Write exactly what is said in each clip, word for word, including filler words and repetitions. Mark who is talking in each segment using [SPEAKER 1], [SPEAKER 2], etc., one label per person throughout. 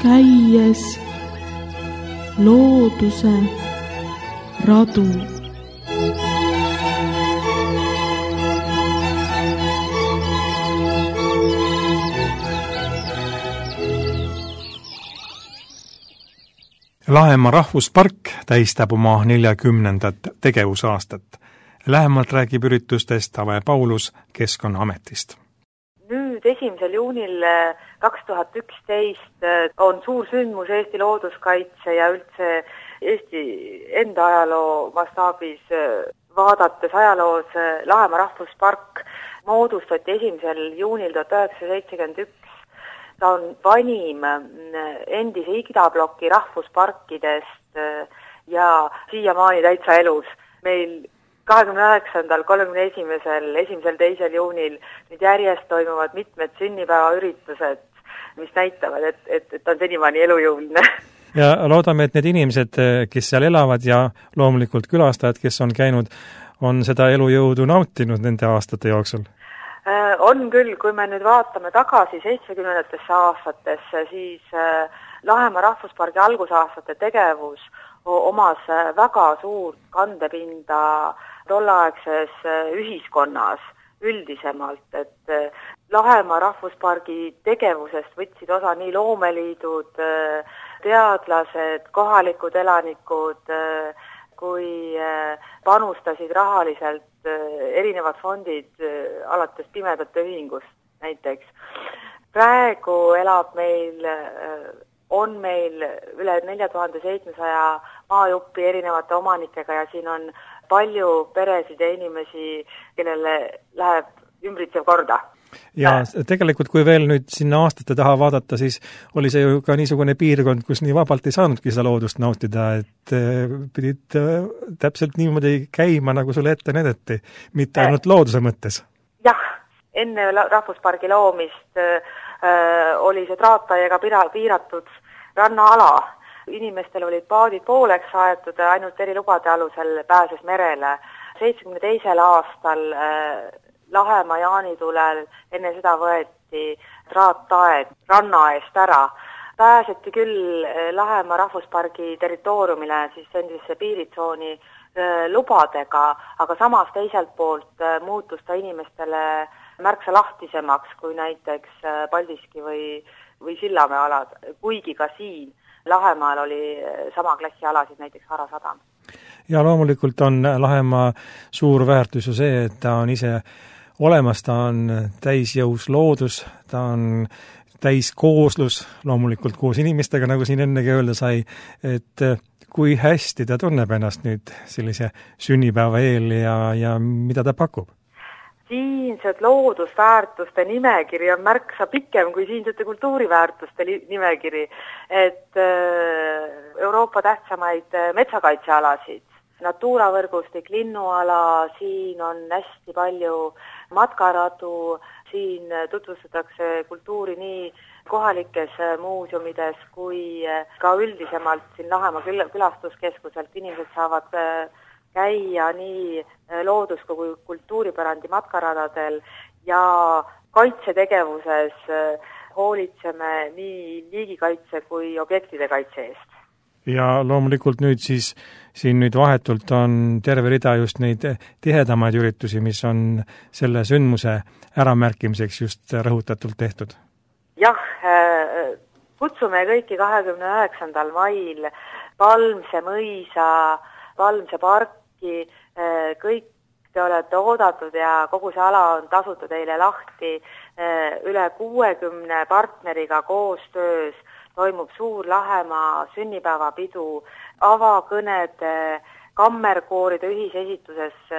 [SPEAKER 1] käies looduse radu.
[SPEAKER 2] Lahemaa rahvuspark tähistab oma neljakümnendat tegevusaastat. Lähemalt räägib üritustest Ave Paulus Keskkonnaametist.
[SPEAKER 3] Nüüd esimesel juunil kaks tuhat üksteist on suur sündmus Eesti looduskaitse ja üldse Eesti enda ajaloo mastaabis vaadates ajaloos. Lahemaa rahvuspark moodustati esimesel juunil tuhat üheksasada seitsekümmend üks. Ta on vanim endise idabloki rahvusparkidest ja siiamaani täitsa elus. Meil kahekümne üheksandal, kolmekümne esimesel, esimesel, teisel juunil nüüd järjest toimuvad mitmed sünnipäevaüritused, mis näitavad, et, et, et on senimaani elujõuline.
[SPEAKER 2] Ja loodame, et need inimesed, kes seal elavad ja loomulikult külastajad, kes on käinud, on seda elujõudu nautinud nende aastate jooksul.
[SPEAKER 3] On küll, kui me nüüd vaatame tagasi seitsmekümnendatesse aastatesse, siis Lahemaa rahvuspargi algusaastate tegevus omas väga suurt kandepinda tolleaegses ühiskonnas üldisemalt, et Lahemaa rahvuspargi tegevusest võtsid osa nii loomeliidud, teadlased, kohalikud elanikud, kui panustasid rahaliselt erinevad fondid alates Pimedate Ühingust näiteks. Praegu elab meil, on meil üle nelja tuhande seitsmesaja maajuppi erinevate omanikega ja siin on palju peresid ja inimesi, kellele läheb ümbritsev korda.
[SPEAKER 2] Ja tegelikult, kui veel nüüd sinna aastate taha vaadata, siis oli see ju ka niisugune piirkond, kus nii vabalt ei saanudki seda loodust nautida, et pidid täpselt niimoodi käima, nagu sulle ette näidati, mitte ainult looduse mõttes.
[SPEAKER 3] Jah, enne rahvuspargi loomist äh, oli see traataiega piiratud rannaala. Inimestel olid paadid pooleks aetud, ainult erilubade alusel pääses merele. seitsmekümne teisel aastal äh, Lahemaa jaanitulel enne seda võeti traattaed ranna eest ära. Pääseti küll Lahemaa rahvuspargi territooriumile, siis endise piiritsooni lubadega, aga samas teiselt poolt muutus ta inimestele märksa lahtisemaks kui näiteks Paldiski või, või Sillamäe alad, kuigi ka siin Lahemaal oli sama klassi alasid, näiteks Harasadam.
[SPEAKER 2] Ja loomulikult on Lahemaa suur väärtus ju see, et ta on ise olemas, ta on täisjõus loodus, ta on täiskooslus, loomulikult koos inimestega, nagu siin ennegi öelda sai, et kui hästi ta tunneb ennast nüüd sellise sünnipäeva eel ja, ja mida ta pakub?
[SPEAKER 3] Siinsed loodusväärtuste nimekiri on märksa pikem kui siinsete kultuuriväärtuste nimekiri, et Euroopa tähtsamaid metsakaitsealasid, Natura võrgustik, linnuala, siin on hästi palju matkaradu, siin tutvustatakse kultuuri nii kohalikes muuseumides kui ka üldisemalt siin Lahemaa külastuskeskuselt. Inimesed saavad käia nii loodus- kui kultuuripärandi matkaradadel ja kaitsetegevuses hoolitseme nii liigikaitse kui objektide kaitse eest.
[SPEAKER 2] Ja loomulikult nüüd siis siin nüüd vahetult on terve rida just neid tihedamaid üritusi, mis on selle sündmuse äramärkimiseks just rõhutatult tehtud.
[SPEAKER 3] Jah, kutsume kõiki kahekümne üheksandal mail Palmse mõisa, Palmse parki, kõik te olete oodatud ja kogu see ala on tasuta teile lahti, üle kuuekümne partneriga koostöös toimub suur Lahemaa sünnipäevapidu, avakõnede, kammerkooride ühisesituses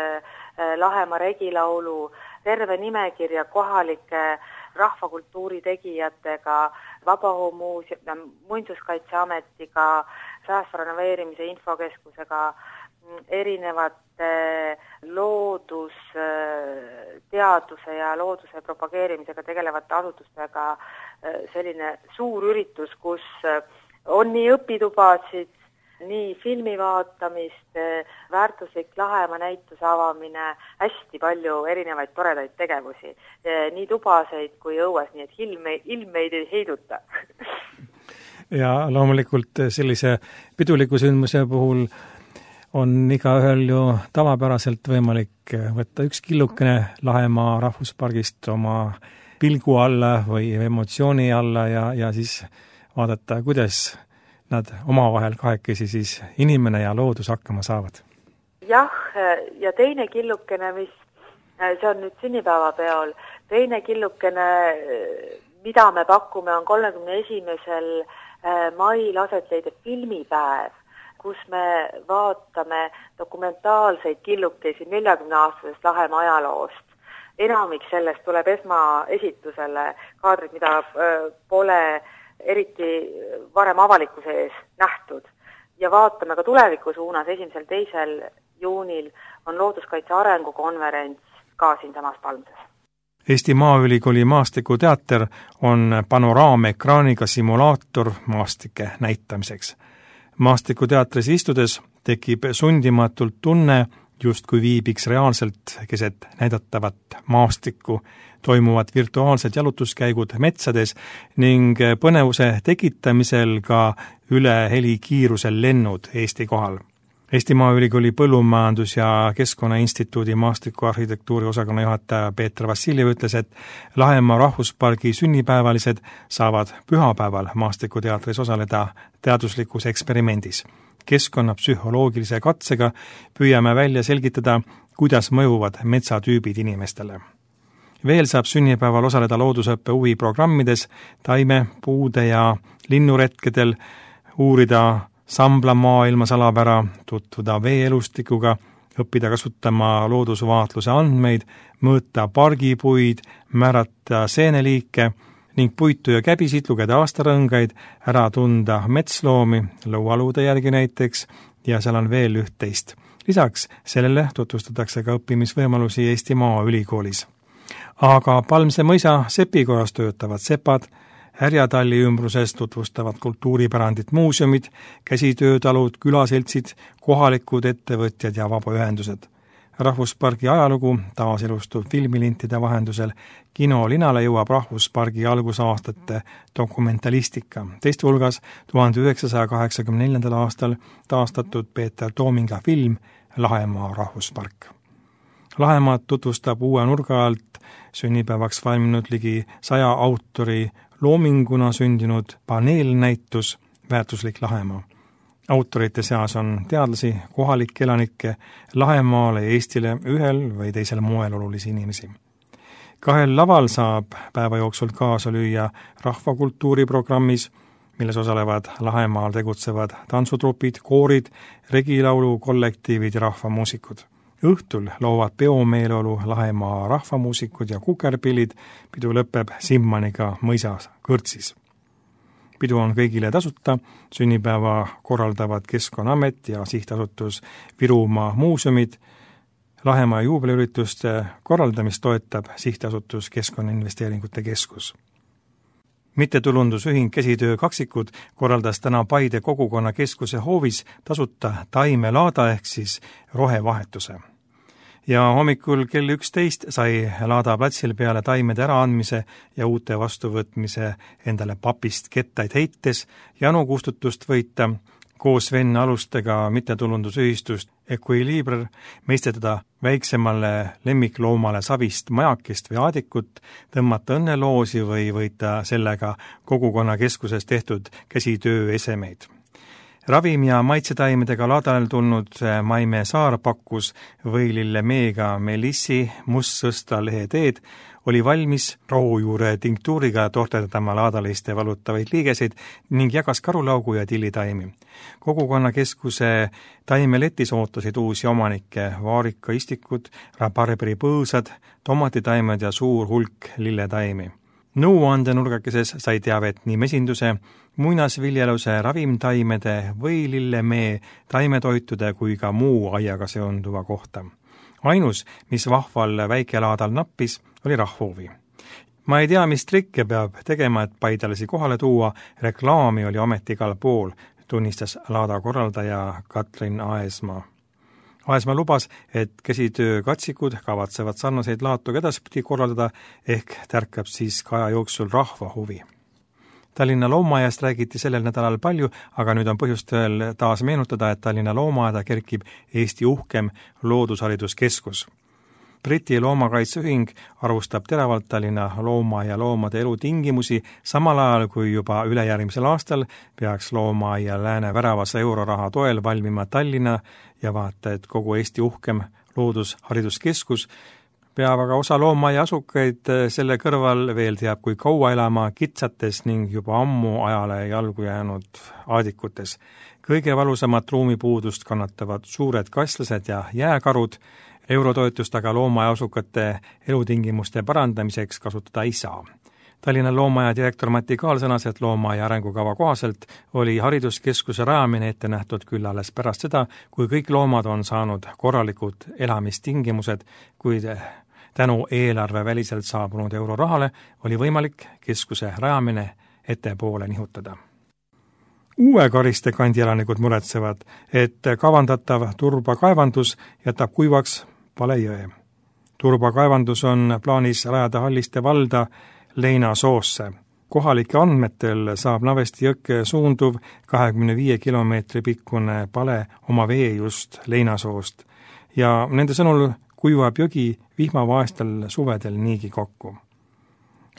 [SPEAKER 3] Lahemaa regilaulu, terve nimekirja kohalike rahvakultuuri tegijatega, Vabaõhumuuseum, Muinsuskaitseametiga, säästva renoveerimise infokeskusega, erinevate loodus, teaduse ja looduse propageerimisega tegelevate asutustega selline suur üritus, kus on nii õpitubasid, nii filmi vaatamist, väärtuslik Lahemaa näituse avamine, hästi palju erinevaid toredaid tegevusi, nii tubaseid kui õues, nii et ilme, ilmeid ei heiduta.
[SPEAKER 2] ja loomulikult sellise piduliku sündmuse puhul on igaühel ju tavapäraselt võimalik võtta üks killukene Lahemaa rahvuspargist oma pilgu alla või emotsiooni alla ja, ja siis vaadata, kuidas nad omavahel kahekesi siis inimene ja loodus hakkama saavad.
[SPEAKER 3] Jah, ja teine killukene, mis see on nüüd sünnipäevapeol, teine killukene, mida me pakume, on kolmekümne esimesel mail aset leidev filmipäev, kus me vaatame dokumentaalseid killukesi neljakümne-aastasest Lahemaa ajaloost. Enamik sellest tuleb esmaesitusele, kaadrid, mida pole eriti varem avalikkuse ees nähtud. Ja vaatame ka tuleviku suunas, esimesel teisel juunil on looduskaitse arengukonverents ka siinsamas Palmses.
[SPEAKER 2] Eesti Maaülikooli maastikuteater on panoraamekraaniga simulaator maastike näitamiseks. Maastikuteatris istudes tekib sundimatult tunne, justkui viibiks reaalselt keset näidatavat maastikku, toimuvad virtuaalsed jalutuskäigud metsades ning põnevuse tekitamisel ka üle helikiirusel lennud Eesti kohal. Eesti Maaülikooli Põllumajandus- ja Keskkonnainstituudi maastikuarhitektuuri osakonna juhataja Peeter Vassiljev ütles, et Lahemaa rahvuspargi sünnipäevalised saavad pühapäeval maastikuteatris osaleda teaduslikus eksperimendis. Keskkonnapsühholoogilise katsega püüame välja selgitada, kuidas mõjuvad metsatüübid inimestele. Veel saab sünnipäeval osaleda loodusõppe huviprogrammides, taime, puude ja linnuretkedel, uurida Sambla maailma salapära, tutvuda veeelustikuga, õppida kasutama loodusvaatluse andmeid, mõõta pargipuid, määrata seeneliike ning puitu ja käbisid, lugeda aastarõngaid, ära tunda metsloomi, lõualuude järgi näiteks, ja seal on veel üht-teist. Lisaks sellele tutvustatakse ka õppimisvõimalusi Eesti Maaülikoolis. Aga Palmse mõisa Sepikorras töötavad sepad, Härjatalli ümbruses tutvustavad kultuuripärandit muuseumid, käsitöötalud, külaseltsid, kohalikud ettevõtjad ja vabaühendused. Rahvuspargi ajalugu taaselustub filmilintide vahendusel. Kinolinale jõuab rahvuspargi algusaastate dokumentalistika. Teiste hulgas tuhande üheksasaja kaheksakümne neljandal aastal taastatud Peeter Toominga film Lahemaa rahvuspark. Lahemaad tutvustab uue nurga alt sünnipäevaks valminud ligi saja autori loominguna sündinud paneelnäitus Väärtuslik Lahemaa. Autorite seas on teadlasi, kohalikke elanikke, Lahemaale ja Eestile ühel või teisel moel olulisi inimesi. Kahel laval saab päeva jooksul kaasa lüüa rahvakultuuriprogrammis, milles osalevad Lahemaal tegutsevad tantsutrupid, koorid, regilaulu, kollektiivid ja rahvamuusikud. Õhtul loovad peomeeleolu Lahemaa rahvamuusikud ja kukerpillid, pidu lõpeb Simmaniga mõisas kõrtsis. Pidu on kõigile tasuta, sünnipäeva korraldavad Keskkonnaamet ja sihtasutus Virumaa muuseumid. Lahemaa juubeliürituste korraldamist toetab sihtasutus Keskkonnainvesteeringute Keskus. Mittetulundusühing Käsitöö kaksikud korraldas täna Paide kogukonna keskuse hoovis tasuta taimelaada ehk siis rohevahetuse. Ja hommikul kell üksteist sai laada platsil peale taimede äraandmise ja uute vastuvõtmise endale papist kettaid heites janu kustutust võita, koos venna alustega mittetulundusühistust Equilibre meistetada väiksemale lemmikloomale savist majakest või aadikut, tõmmata õnneloosi või võita sellega kogukonna keskuses tehtud käsitöö esemeid. Ravim- ja maitsetaimedega laadal tulnud Maime Saar pakkus võilille meega melissi mustsõsta leheteed, oli valmis rohujuure tinktuuriga tohterdama laadaliste valutavaid liigeseid ning jagas karulaugu ja tillitaimi. Kogukonnakeskuse taimeletis ootasid uusi omanikke, vaarikaistikud, rabarberi põõsad, tomatitaimed ja suur hulk lilletaimi. Nõuandenurgakeses sai teavet nii mesinduse, muinasviljeluse, ravimtaimede või lillemee, taimetoitude kui ka muu aiaga seonduva kohta. Ainus, mis vahval väikelaadal nappis, oli rahvoovi. Ma ei tea, mis trikke peab tegema, et paidalisi kohale tuua, reklaami oli ometi igal pool, tunnistas laada korraldaja Katrin Aesmaa. Aesmaa lubas, et käsitöö katsikud kavatsevad sarnaseid laatu edaspidi korraldada ehk tärkab siis ka aja jooksul rahva huvi. Tallinna loomaaiast räägiti sellel nädalal palju, aga nüüd on põhjust veel taas meenutada, et Tallinna loomaaeda kerkib Eesti uhkem loodushariduskeskus. Briti loomakaitseühing arvustab teravalt Tallinna loomaaia loomade elutingimusi, samal ajal kui juba ülejärgmisel aastal peaks loomaaia lääne väravas euroraha toel valmima Tallinna ja vaata, et kogu Eesti uhkem loodushariduskeskus peab aga osa loomaaia asukaid selle kõrval veel teab kui kaua elama kitsates ning juba ammu ajale jalgu jäänud aadikutes. Kõige valusamat ruumipuudust kannatavad suured kaslased ja jääkarud, eurotoetust aga loomaaia asukate elutingimuste parandamiseks kasutada ei saa. Tallinna loomaaia direktor Mati Kaal sõnas, et loomaaia arengukava kohaselt oli hariduskeskuse rajamine ette nähtud küll alles pärast seda, kui kõik loomad on saanud korralikud elamistingimused, kuid tänu eelarve väliselt saabunud eurorahale oli võimalik keskuse rajamine ettepoole nihutada. Uue Kariste kandi elanikud muretsevad, et kavandatav turbakaevandus jätab kuivaks Pale jõe. Turbakaevandus on plaanis rajada Halliste valda Leinasoosse. Kohalike andmetel saab Navesti jõkke suunduv kahekümne viie kilomeetri pikkune Pale oma vee just Leinasoost ja nende sõnul kuivab jõgi vihmavaestel suvedel niigi kokku.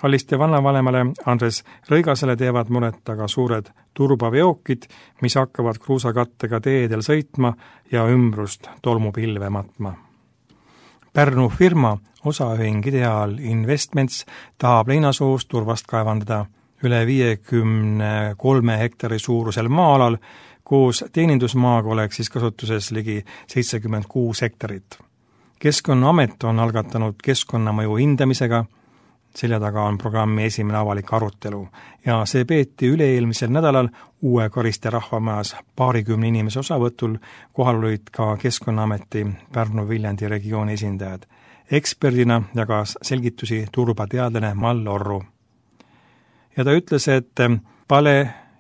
[SPEAKER 2] Halliste vannavanemale Andres Rõigasele teevad muret aga suured turbaveokid, mis hakkavad kruusakattega teedel sõitma ja ümbrust tolmupilve matma. Pärnu firma osaühing Ideal Investments tahab Leinasoost turvast kaevandada üle viiekümne kolme hektari suurusel maa-alal, koos teenindusmaaga oleks siis kasutuses ligi seitsekümmend kuus hektarit. Keskkonnaamet on algatanud keskkonnamõju hindamisega, selja taga on programmi esimene avalik arutelu ja see peeti üle-eelmisel nädalal Uue Kariste rahvamajas paarikümne inimese osavõtul, kohal olid ka Keskkonnaameti Pärnu-Viljandi regiooni esindajad. Eksperdina jagas selgitusi turbateadlane Mall Orru. Ja ta ütles, et Pale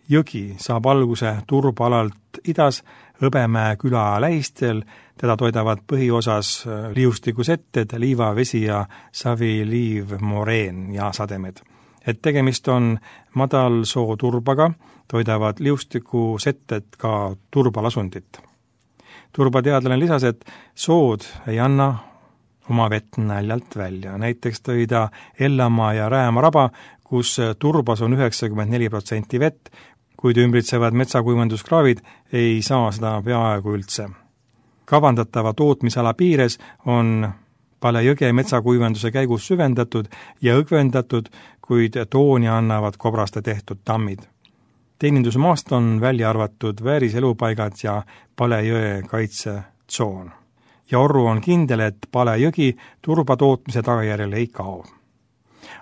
[SPEAKER 2] jõgi saab alguse turbaalalt idas Hõbemäe küla lähistel, teda toidavad põhiosas liustikusetted, liivavesi ja savi, liiv, moreen ja sademed. Et tegemist on madalsoo turbaga, toidavad liustikusetted ka turbalasundit. Turbateadlane lisas, et sood ei anna oma vett näljalt välja. Näiteks tõi ta Ellamaa ja Rääma raba, kus turbas on üheksakümmend neli protsenti vett, kuid ümbritsevad metsakuivenduskraavid ei saa seda peaaegu üldse. Kavandatava tootmisala piires on Pale jõge metsakuivenduse käigus süvendatud ja õgvendatud, kuid tooni annavad kobraste tehtud tammid. Teenindusmaast on välja arvatud vääriselupaigad ja Pale jõe kaitsetsoon. Ja Orru on kindel, et Pale jõgi turbatootmise tagajärjel ei kao.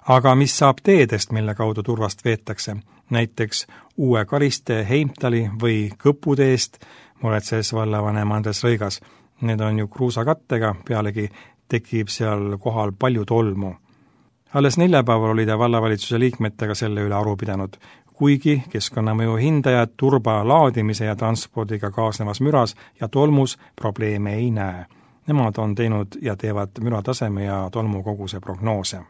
[SPEAKER 2] Aga mis saab teedest, mille kaudu turvast veetakse? Näiteks Uue Kariste, Heimtali või Kõputeest, muretses vallavanem Andres Rõigas. Need on ju kruusakattega, pealegi tekib seal kohal palju tolmu. Alles neljapäeval oli ta vallavalitsuse liikmetega selle üle aru pidanud, kuigi keskkonnamõju hindajad turba laadimise ja transpordiga kaasnevas müras ja tolmus probleeme ei näe. Nemad on teinud ja teevad mürataseme ja tolmukoguse prognoose.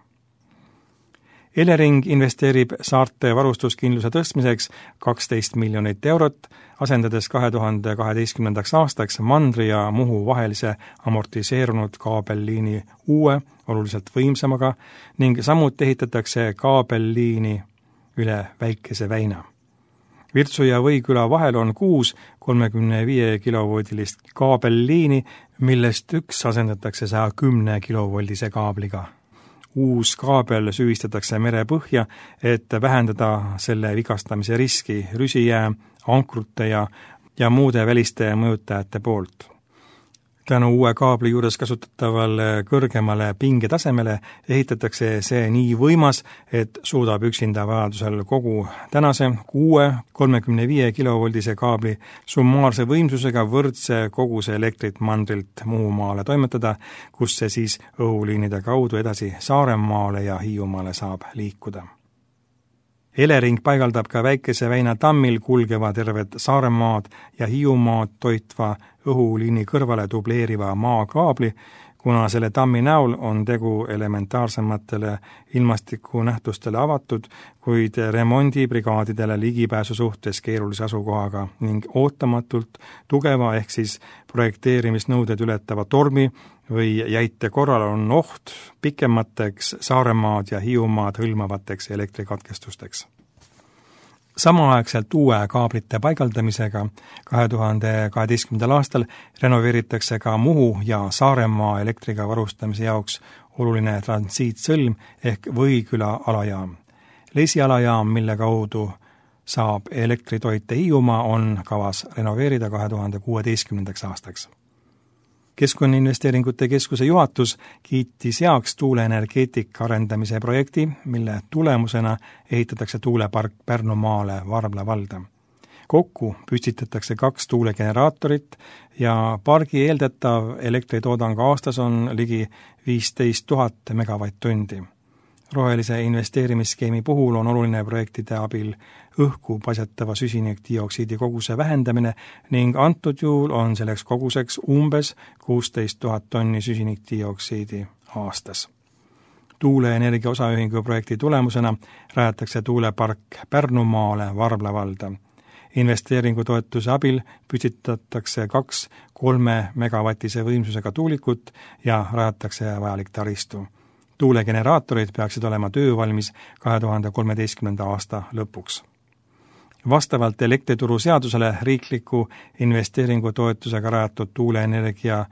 [SPEAKER 2] Elering investeerib saarte varustuskindluse tõstmiseks kaksteist miljonit eurot, asendades kahe tuhande kaheteistkümnendaks aastaks Mandri ja Muhu vahelise amortiseerunud kaabelliini uue, oluliselt võimsamaga ning samuti ehitatakse kaabelliini üle Väikese väina. Virtsu ja Võiküla vahel on kuus kolmekümne viie kilovoldilist kaabelliini, millest üks asendatakse saja kümne kilovoldise kaabliga. Uus kaabel süüvistatakse mere põhja, et vähendada selle vigastamise riski rüsijää, ankrute ja, ja muude väliste mõjutajate poolt. Tänu uue kaabli juures kasutatavale kõrgemale pingetasemele ehitatakse see nii võimas, et suudab üksinda vajadusel kogu tänase kuue kolmekümne viie kilovoldise kaabli summaarse võimsusega võrdse koguse elektrit mandrilt Muhumaale toimetada, kus see siis õhuliinide kaudu edasi Saaremaale ja Hiiumaale saab liikuda. Elering paigaldab ka Väikese väina tammil kulgeva tervet Saaremaad ja Hiiumaad toitva õhuliini kõrvale dubleeriva maakaabli, kuna selle tammi näol on tegu elementaarsematele ilmastikunähtustele avatud, kuid remondibrigaadidele ligipääsu suhtes keerulise asukohaga ning ootamatult tugeva ehk siis projekteerimisnõuded ületava tormi või jäite korral on oht pikemateks Saaremaad ja Hiiumaad hõlmavateks elektrikatkestusteks. Samaaegselt uue kaablite paigaldamisega kahe tuhande kaheteistkümnendal aastal renoveeritakse ka Muhu ja Saaremaa elektriga varustamise jaoks oluline transiitsõlm ehk Võiküla alajaam. Lesi alajaam, mille kaudu saab elektritoite Hiiumaa, on kavas renoveerida kahe tuhande kuueteistkümnendaks aastaks. Keskkonnainvesteeringute Keskuse juhatus kiitis heaks tuuleenergeetika arendamise projekti, mille tulemusena ehitatakse tuulepark Pärnumaale Varbla valda. Kokku püstitatakse kaks tuulegeneraatorit ja pargi eeldatav elektritoodang aastas on ligi viisteist tuhat megavatt-tundi. Rohelise investeerimisskeemi puhul on oluline projektide abil õhku paisatava süsinikdioksiidi koguse vähendamine ning antud juhul on selleks koguseks umbes kuusteist tuhat tonni süsinikdioksiidi aastas. Tuuleenergia osaühingu projekti tulemusena rajatakse tuulepark Pärnumaale Varbla valda. Investeeringutoetuse abil püstitatakse kaks kolme megavatise võimsusega tuulikut ja rajatakse vajalik taristu. Tuulegeneraatorid peaksid olema töövalmis kahe tuhande kolmeteistkümnenda aasta lõpuks. Vastavalt elektrituru seadusele riikliku investeeringutoetusega rajatud tuuleenergia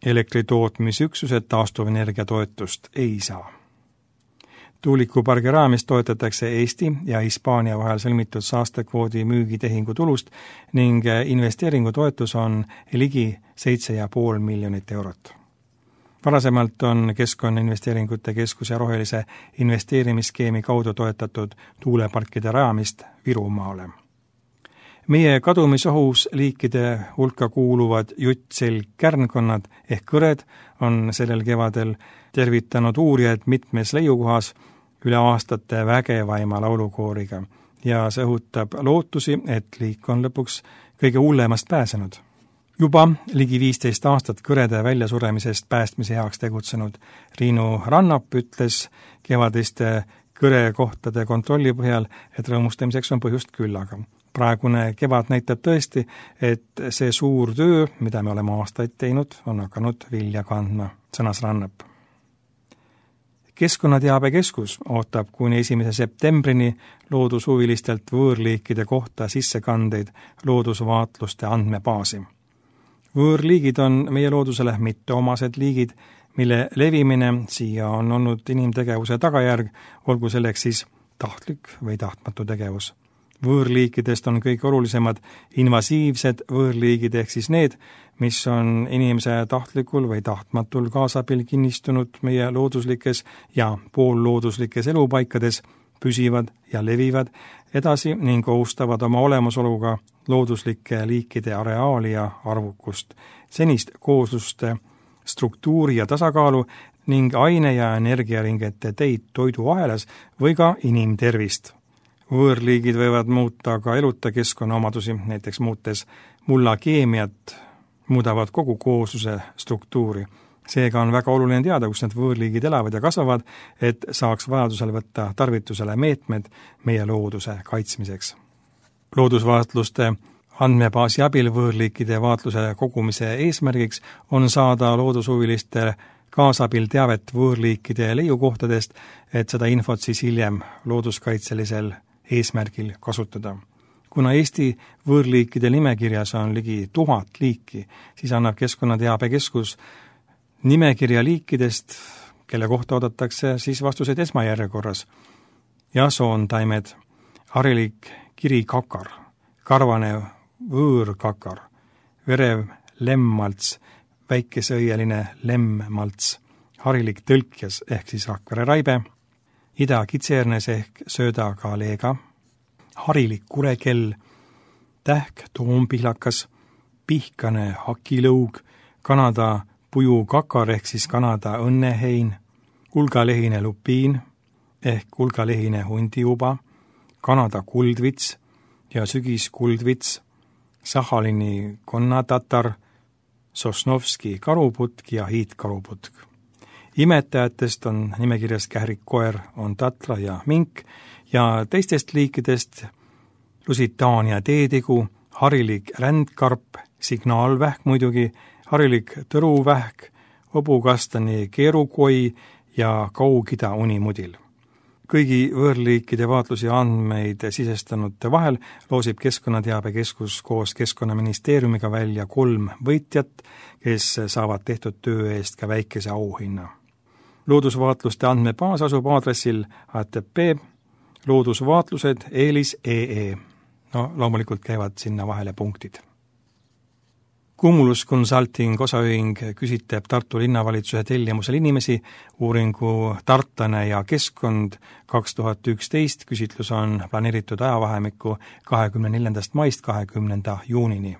[SPEAKER 2] elektritootmisüksused taastuvenergia toetust ei saa. Tuulikupargi raamis toetatakse Eesti ja Hispaania vahel sõlmitud saastekvoodi müügitehingu tulust ning investeeringutoetus on ligi seitse ja pool miljonit eurot. Varasemalt on Keskkonnainvesteeringute Keskuse rohelise investeerimisskeemi kaudu toetatud tuuleparkide rajamist Virumaale. Meie kadumisohus liikide hulka kuuluvad juttselg-kärnkonnad ehk kõred on sellel kevadel tervitanud uurijaid mitmes leiukohas üle aastate vägevaima laulukooriga ja see õhutab lootusi, et liik on lõpuks kõige hullemast pääsenud. Juba ligi viisteist aastat kõrede väljasuremisest päästmise heaks tegutsenud Riinu Rannap ütles kevadiste kõrekohtade kontrolli põhjal, et rõõmustamiseks on põhjust küllaga. Praegune kevad näitab tõesti, et see suur töö, mida me oleme aastaid teinud, on hakanud vilja kandma, sõnas Rannap. Keskkonnateabekeskus ootab kuni esimese septembrini loodushuvilistelt võõrliikide kohta sissekandeid loodusvaatluste andmebaasi. Võõrliigid on meie loodusele mitteomased liigid, mille levimine siia on olnud inimtegevuse tagajärg, olgu selleks siis tahtlik või tahtmatu tegevus. Võõrliikidest on kõige olulisemad invasiivsed võõrliigid ehk siis need, mis on inimese tahtlikul või tahtmatul kaasabil kinnistunud meie looduslikes ja poollooduslikes elupaikades, püsivad ja levivad edasi ning ohustavad oma olemasoluga looduslike liikide areaali ja arvukust, senist koosluste struktuuri ja tasakaalu ning aine- ja energiaringete teid toiduahelas või ka inimtervist. Võõrliigid võivad muuta ka eluta keskkonnaomadusi, näiteks muutes mulla keemiat, muudavad kogu koosluse struktuuri. Seega on väga oluline teada, kus need võõrliigid elavad ja kasvavad, et saaks vajadusel võtta tarvitusele meetmed meie looduse kaitsmiseks. Loodusvaatluste andmebaasi abil võõrliikide vaatluse kogumise eesmärgiks on saada loodushuviliste kaasabil teavet võõrliikide leiukohtadest, et seda infot siis hiljem looduskaitselisel eesmärgil kasutada. Kuna Eesti võõrliikide nimekirjas on ligi tuhat liiki, siis annab Keskkonnateabekeskus nimekirja liikidest, kelle kohta oodatakse siis vastuseid esmajärjekorras. Jasoontaimed, harilik kirikakar, karvanev võõrkakar, verev lemmmalts, väikesõieline lemmmalts, harilik tõlkjas ehk siis Rakvere raibe, idakitsernes ehk söödakaleega, harilik kurekell, tähk toompihlakas, pihkane hakilõug, Kanada pujukakar ehk siis Kanada õnnehein, kulgalehine lupiin ehk kulgalehine hundiuba, Kanada kuldvits ja sügiskuldvits, Sahalini konnatatar, Sosnovski karuputk ja hiidkaruputk. Imetajatest on nimekirjas kährik koer, on tatla ja mink ja teistest liikidest Lusitaania teetegu, harilik rändkarp, signaalvähk muidugi, harilik tõruvähk, hobukastani keerukoi ja kaugida unimudil. Kõigi võõrliikide vaatlus ja andmeid sisestanute vahel loosib Keskkonnateabekeskus koos Keskkonnaministeeriumiga välja kolm võitjat, kes saavad tehtud töö eest ka väikese auhinna. Loodusvaatluste andmebaas asub aadressil H T T P loodusvaatlused eelis E E. No loomulikult käivad sinna vahele punktid. Cumulus Consulting osaühing küsitleb Tartu linnavalitsuse tellimusel inimesi uuringu Tartlane ja keskkond kaks tuhat üksteist. Küsitlus on planeeritud ajavahemikku kahekümne neljandast maist kahekümnenda juunini.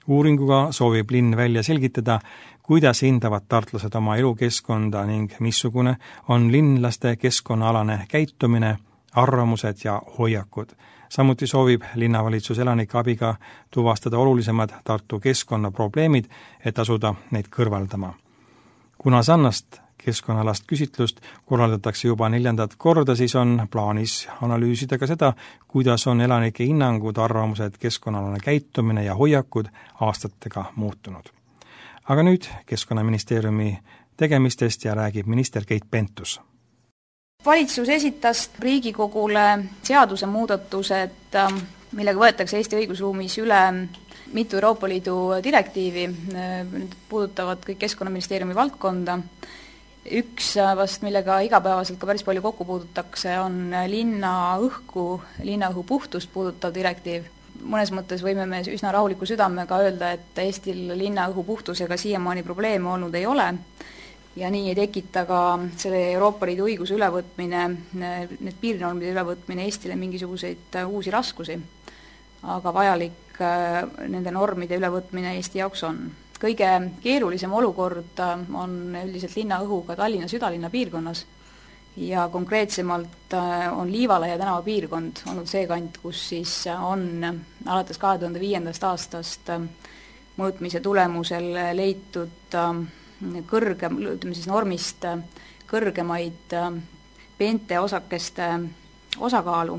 [SPEAKER 2] Uuringuga soovib linn välja selgitada, kuidas hindavad tartlased oma elukeskkonda ning missugune on linlaste keskkonnaalane käitumine, arvamused ja hoiakud. Samuti soovib linnavalitsus elanike abiga tuvastada olulisemad Tartu keskkonnaprobleemid, et asuda neid kõrvaldama. Kuna sannast keskkonnalast küsitlust korraldatakse juba neljandat korda, siis on plaanis analüüsida ka seda, kuidas on elanike hinnangud, arvamused, keskkonnalane käitumine ja hoiakud aastatega muutunud. Aga nüüd Keskkonnaministeeriumi tegemistest ja räägib minister Keit Pentus.
[SPEAKER 4] Valitsus esitas Riigikogule seaduse muudatused, millega võetakse Eesti õigusruumis üle mitu Euroopa Liidu direktiivi, need puudutavad kõik Keskkonnaministeeriumi valdkonda. Üks vast, millega igapäevaselt ka päris palju kokku puudutakse, on linna õhku, linnaõhu puhtust puudutav direktiiv. Mõnes mõttes võime me üsna rahuliku südamega öelda, et Eestil linnaõhu puhtusega siiamaani probleeme olnud ei ole. Ja nii ei tekita ka selle Euroopa Liidu õiguse ülevõtmine, need piirnormide ülevõtmine Eestile mingisuguseid uusi raskusi, aga vajalik nende normide ülevõtmine Eesti jaoks on. Kõige keerulisem olukord on üldiselt linnaõhuga Tallinna südalinna piirkonnas ja konkreetsemalt on Liivalaia tänava piirkond olnud see kant, kus siis on alates kahe tuhande viiendast aastast mõõtmise tulemusel leitud kõrgem, ütleme siis normist kõrgemaid peente osakeste osakaalu,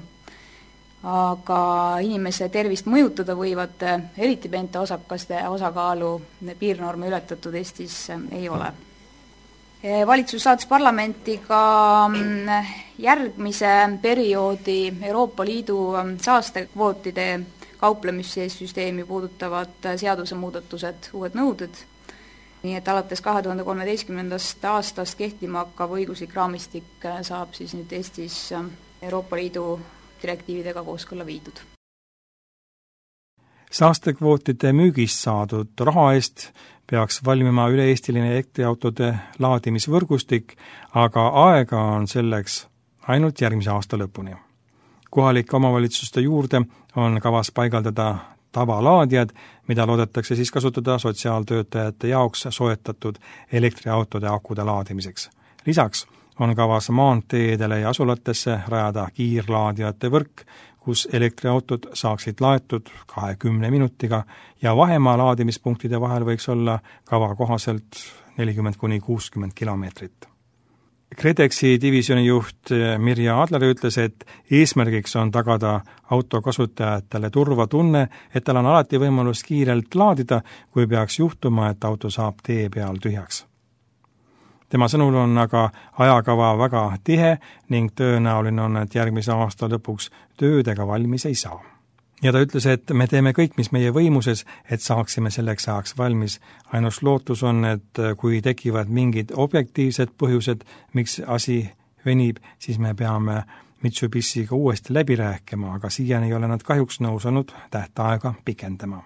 [SPEAKER 4] aga inimese tervist mõjutada võivate, eriti peente osakaste osakaalu piirnorme ületatud Eestis ei ole. Valitsus saatis parlamenti ka järgmise perioodi Euroopa Liidu saastekvootide kauplemissüsteemi puudutavad seadusemuudatused, uued nõuded, nii et alates kahe tuhande kolmeteistkümnendast aastast kehtima hakkav õiguslik raamistik saab siis nüüd Eestis Euroopa Liidu direktiividega kooskõlla viidud.
[SPEAKER 2] Saastekvootide müügist saadud raha eest peaks valmima üle-eestiline elektriautode laadimisvõrgustik, aga aega on selleks ainult järgmise aasta lõpuni. Kohalike omavalitsuste juurde on kavas paigaldada tavalaadijad, mida loodetakse siis kasutada sotsiaaltöötajate jaoks soetatud elektriautode akude laadimiseks. Lisaks on kavas maanteedele ja asulatesse rajada kiirlaadijate võrk, kus elektriautod saaksid laetud kahekümne minutiga ja vahemaa laadimispunktide vahel võiks olla kava kohaselt nelikümmend kuni kuuskümmend kilomeetrit. KredExi divisjoni juht Mirja Adler ütles, et eesmärgiks on tagada auto kasutajatele turvatunne, et tal on alati võimalus kiirelt laadida, kui peaks juhtuma, et auto saab tee peal tühjaks. Tema sõnul on aga ajakava väga tihe ning tõenäoline on, et järgmise aasta lõpuks töödega valmis ei saa. Ja ta ütles, et me teeme kõik, mis meie võimuses, et saaksime selleks ajaks valmis. Ainus lootus on, et kui tekivad mingid objektiivsed põhjused, miks asi venib, siis me peame Mitsubishiga uuesti läbi rääkima, aga siiani ei ole nad kahjuks nõus olnud tähtaega pikendama.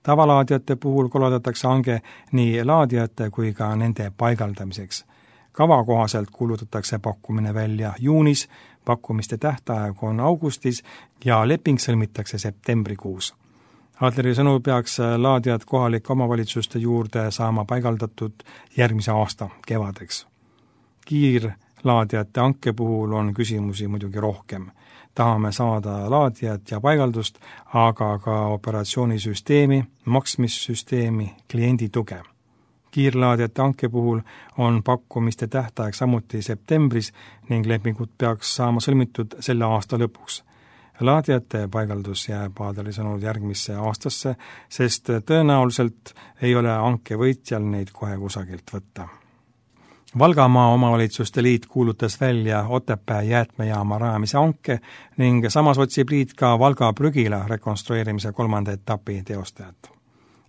[SPEAKER 2] Tavalaadijate puhul korraldatakse hange nii laadijate kui ka nende paigaldamiseks. Kava kohaselt kuulutatakse pakkumine välja juunis, pakkumiste tähtaeg on augustis ja leping sõlmitakse septembrikuus. Adleri sõnul peaks laadijad kohalike omavalitsuste juurde saama paigaldatud järgmise aasta kevadeks. Kiirlaadijate hanke puhul on küsimusi muidugi rohkem. tahame saada laadijat ja paigaldust, aga ka operatsioonisüsteemi, maksmissüsteemi, kliendi tuge. Kiirlaadijate hanke puhul on pakkumiste tähtaeg samuti septembris ning lepingud peaks saama sõlmitud selle aasta lõpuks. Laadijate paigaldus jääb Aadeli sõnul järgmisse aastasse, sest tõenäoliselt ei ole hanke võitjal neid kohe kusagilt võtta. Valgamaa omavalitsuste liit kuulutas välja Otepää jäätmejaama rajamise hanke ning samas otsib liit ka Valga prügila rekonstrueerimise kolmanda etapi teostajat.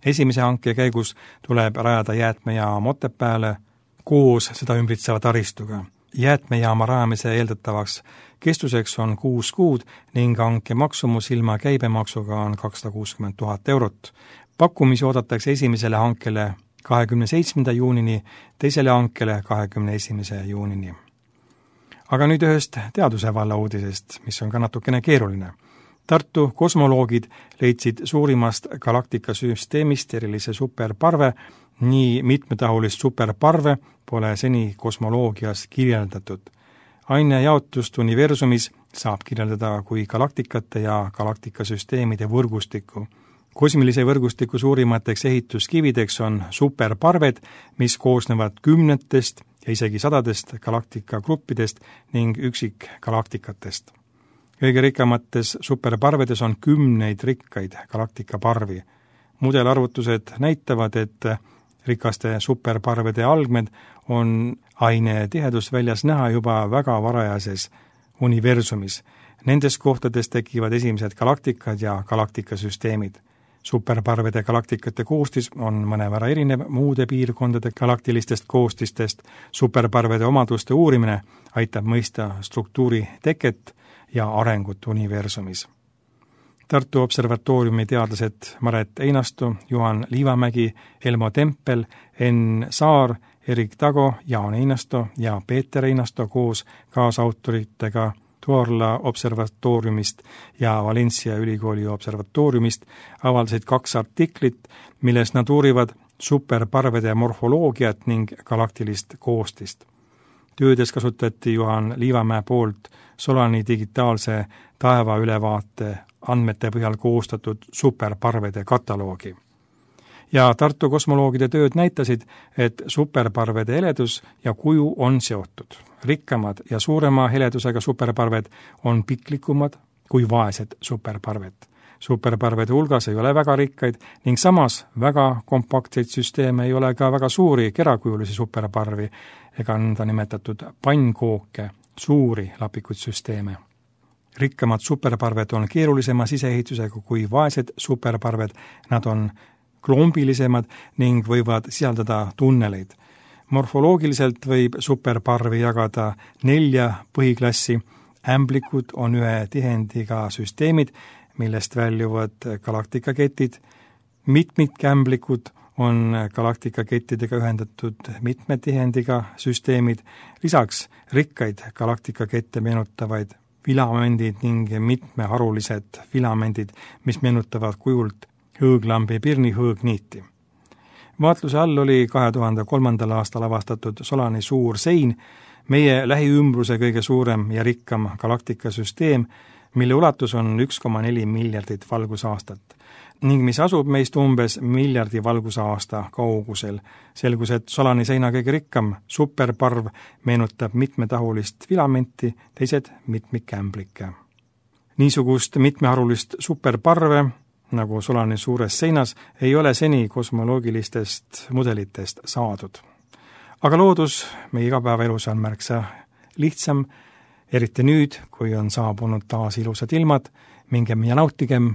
[SPEAKER 2] Esimese hanke käigus tuleb rajada jäätmejaam Otepääle koos seda ümbritseva taristuga. Jäätmejaama rajamise eeldatavaks kestuseks on kuus kuud ning hanke maksumus ilma käibemaksuga on kakssada kuuskümmend tuhat eurot. Pakkumisi oodatakse esimesele hankele kahekümne seitsmenda juunini, teisele hankele kahekümne esimese juunini. Aga nüüd ühest teaduse valla uudisest, mis on ka natukene keeruline. Tartu kosmoloogid leidsid suurimast galaktikasüsteemist erilise superparve, nii mitmetahulist superparve pole seni kosmoloogias kirjeldatud. Aine jaotust universumis saab kirjeldada kui galaktikate ja galaktikasüsteemide võrgustikku. Kosmilise võrgustiku suurimateks ehituskivideks on superparved, mis koosnevad kümnetest ja isegi sadadest galaktikagruppidest ning üksikgalaktikatest. Kõige rikkamates superparvedes on kümneid rikkaid galaktikaparvi. Mudelarvutused näitavad, et rikaste superparvede algmed on aine tihedusväljas näha juba väga varajases universumis. Nendes kohtades tekivad esimesed galaktikad ja galaktikasüsteemid. Superparvede galaktikate koostis on mõnevõrra erinev muude piirkondade galaktilistest koostistest. Superparvede omaduste uurimine aitab mõista struktuuri teket ja arengut universumis. Tartu Observatooriumi teadlased Maret Einasto, Juhan Liivamägi, Elmo Tempel, Enn Saar, Erik Tago, Jaan Einasto ja Peeter Einasto koos kaasautoritega Tuorla observatooriumist ja Valencia ülikooli observatooriumist avaldasid kaks artiklit, milles nad uurivad superparvede morfoloogiat ning galaktilist koostist. Töödes kasutati Juhan Liivamäe poolt Solani digitaalse taevaülevaate andmete põhjal koostatud superparvede kataloogi. Ja Tartu kosmoloogide tööd näitasid, et superparvede heledus ja kuju on seotud. Rikkamad ja suurema heledusega superparved on piklikumad kui vaesed superparved. Superparvede hulgas ei ole väga rikkaid ning samas väga kompaktseid süsteeme ei ole ka väga suuri kerakujulisi superparvi ega nõnda nimetatud pannkooke, suuri lapikuid süsteeme. Rikkamad superparved on keerulisema siseehitusega kui vaesed superparved, nad on klombilisemad ning võivad sisaldada tunneleid. Morfoloogiliselt võib superparvi jagada nelja põhiklassi. Ämblikud on ühe tihendiga süsteemid, millest väljuvad galaktikaketid. Mitmikämblikud on galaktikakettidega ühendatud mitme tihendiga süsteemid. Lisaks rikkaid galaktikakette meenutavaid filamendid ning mitmeharulised filamendid, mis meenutavad kujult hõõglambi pirni hõõgniiti. Vaatluse all oli kahe tuhande kolmandal aastal avastatud Solani suur sein, meie lähiümbruse kõige suurem ja rikkam galaktikasüsteem, mille ulatus on üks koma neli miljardit valgusaastat ning mis asub meist umbes miljardi valgusaasta kaugusel. Selgus, et Solani seina kõige rikkam superparv meenutab mitmetahulist filamenti, teised mitmikämblikke. Niisugust mitmeharulist superparve nagu Solani suures seinas, ei ole seni kosmoloogilistest mudelitest saadud. Aga loodus meie igapäevaelus on märksa lihtsam, eriti nüüd, kui on saabunud taas ilusad ilmad, mingem ja nautigem,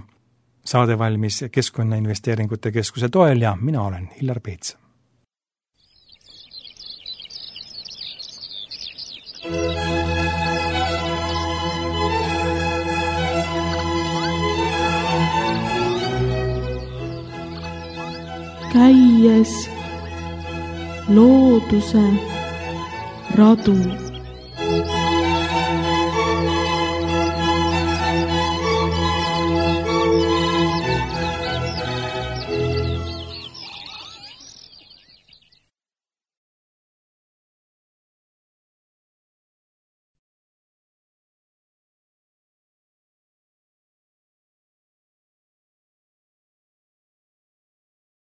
[SPEAKER 2] saade valmis Keskkonnainvesteeringute Keskuse toel ja mina olen Hillar Peets.
[SPEAKER 1] Käies looduse radu.